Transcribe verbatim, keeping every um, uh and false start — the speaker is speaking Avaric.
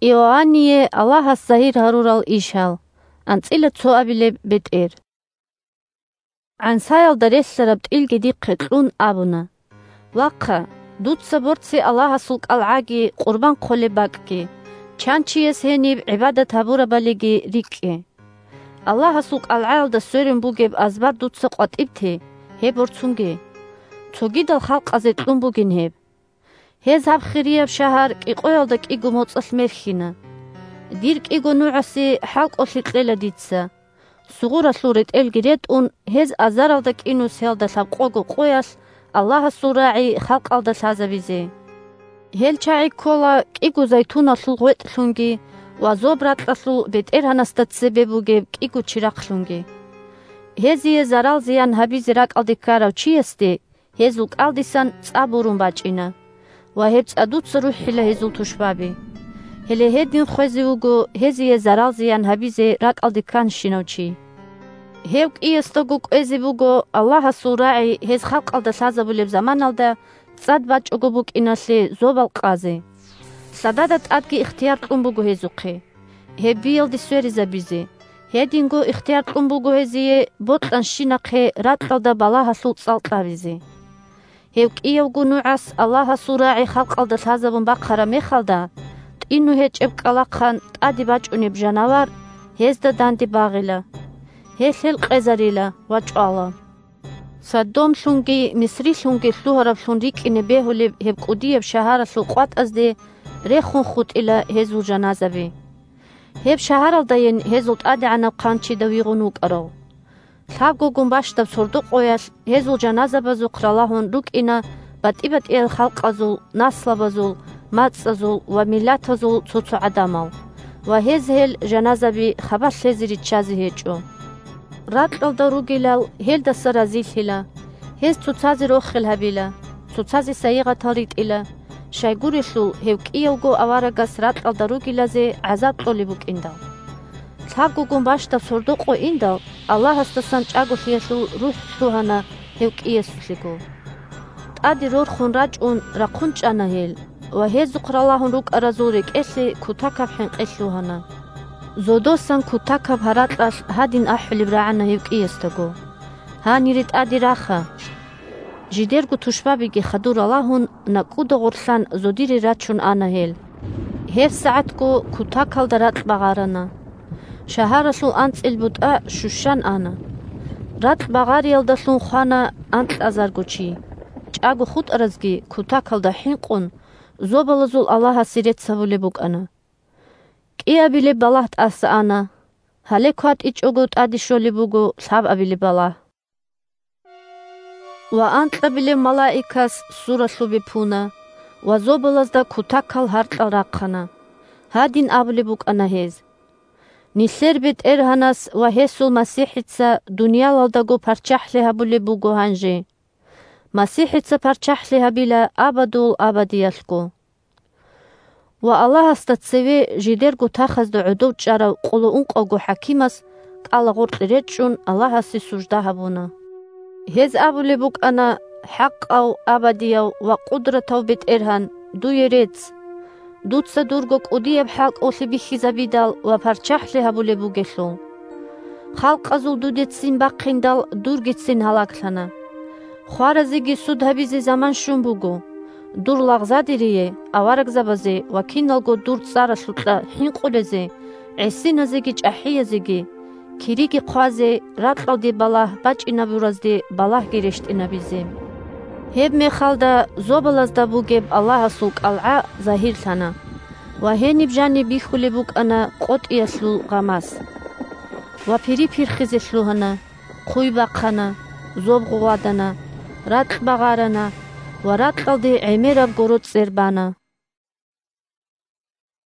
Иоанние Аллагьас загьир гьарурал ишал. АнцӀила цо абилеб бетӀер. ГӀансаялда релълъараб тӀилги дихъе кьун абуна: «Вахъа, дуца борци Аллагьасул кӀалгӀаги къурбан хъолеб бакӀги, чан чияс гьениб гӀибадат гьабурабалиги рикӀкӀе». Аллагьасул кӀалгӀаялда сверун бугеб азбар дуца къватӀиб те, гьеб борцунге. Цогидал халкъазе кьун бугин гьеб. Гьез гьаб хирияб шагьар кӀикъоялда кӀиго моцӀалъ мерхьина. Дир кӀиго нугӀасе хӀалкӀолъи кьела дица. Сугъуралъул ретӀелги ретӀун, гьез азаралда кӀинусиялда лъабкъого къоялъ Аллагьасул рагӀи халкъалда лъазабизе. Гьел чагӀи ккола кӀиго зайтуналъул гъветӀлъунги ва зоб ракьалъул бетӀергьанасда цебе бугеб кӀиго чирахълъунги. Гьезие зарал-зиян гьабизе ракӀалде ккарав чиясде гьезул кӀалдисан цӀа бурун бачӀина, ва гьеб цӀа дуца рухӀила гьезул тушбаби. Гьеле гьедин хвезе вуго гьезие зарал-зиян гьабизе ракӀалде кканщинав чи. Гьев кӀиясдаго кӀвезе буго Аллагьасул рагӀи гьез халкъалда лъазабулеб заманалда цӀад бачӀого букӀиналъе зобал къазе. Лъадада тӀадги ихтияр кьун буго гьезухъе гьеб биялде сверизабизе. Гьединго ихтияр кьун буго гьезие бокьанщинахъе ракьалда балагьалъул цӀал кьабизе. Гьев кӀиявго нугӀас Аллагьасул рагӀи халкъалда лъазабун бахъараб мехалда, тӀину гьечӀеб кӀкӀалахъан тӀаде бачӀунеб жанавар гьезда данде багъила. Гьелъ гьел къезарила ва чӀвала. Содомлъунги Мисрилъунги лъугьараблъун рикӀкӀине бегьулеб гьеб кӀудияб шагьаралъул къватӀазде рехун хутӀила гьезул жаназаби. Гьеб шагьаралдайин гьезул тӀадегӀанаб хъанчида вигъун вукӀарав. Лъабгогун бащдаб сордо-къоялъ гьезул жаназабазухъ ралагьун рукӀина батӀи-батӀиял халкъазул, наслабазул, мацӀазул ва миллатазул цо-цо гӀадамал, ва гьез гьел жаназаби хабалъ лъезе риччазе гьечӀо. Ракьалда ругелал гьелдаса разилъила, гьез цоцазе рохел гьабила, цоцазе сайигъатал ритӀила, щайгурелъул гьев кӀиявго аварагас ракьалда ругелазе гӀазаб кьолеб букӀиндал. Лъабгогун бащдаб сордо-къо индал, Аллагьасдасан чӀаголъиялъул рухӀ лъугьана гьев кӀиясулъего. ТӀаде рорхун рачӀун рахъун чӀана гьел, ва гьезухъ ралагьун рукӀаразул рекӀелъе кутакаб хӀинкъи лъугьана. Зодосан кутакаб гьаракьалъ гьадин ахӀулеб рагӀана гьев кӀиясдаго: «Гьанире тӀаде раха!» Жидерго тушбабиги хадур ралагьун, накӀкӀуда гъорлъан зодире рачун ана гьел. ГьебсагӀатго кутакалда ракь багъарана. Шагьаралъул анцӀил бутӀа щущан ана. Ракь багъариялдалъун хвана анкьазарго чи. ЧӀаго хутӀаразги кутакалда хӀинкъун, зобалазул Аллагьасе рецц гьабулеб букӀана. КӀиабилеб балагь тӀаса ана. Гьале кватӀичӀого тӀаде щолеб буго лъабабилеб балагь. Ва анкьабилеб малаикас суралъубе пуна ва зобалазда кутакал гьаркьал рахъана. Гьадин абулеб букӀана гьез: «Нилъер БетӀергьанас ва гьесул МасихӀица дуниялалдаго парччахӀлъи гьабулеб буго гьанже. МасихӀица парччахӀлъи гьабила абадул абадиялъго». Ва Аллагьасда цеве жидерго тахазда гӀодов чӀарав къоло ункъавго хӀакимас кӀалагъоркье речӀчӀун Аллагьасе сужда гьабуна. Гьез абулеб букӀана: «ХӀакъав, абадияв ва къудратав БетӀергьан, дуе рецц! Дуца дурго кӀудияб хӀалкӀолъи бихьизабидал ва парччахӀлъи гьабулеб бугелъул. Халкъазул дудецин бахъиндал дургицин гьалаглъана. Хваразеги суд гьабизе заман щун буго. Дур лагъзадерие, аварагзабазе ва киналго дур цӀаралъукьа хӀинкъулезе, гӀисиназеги чӀахӀиязеги, кириги хъвазе, ракьалде балагь бачӀинабуразде балагьги рещтӀинабизе». Гьеб мехалда зобалазда бугеб Аллагьасул кӀалгӀа загьирлъана, ва гьениб жаниб бихьулеб букӀана къотӀиялъул гъамас. Ва пири пирхизе лъугьана, хъуй бахъана, зоб гъугъвадана, ракь багъарана ва ракьалде гӀемераб гороцӀер бана.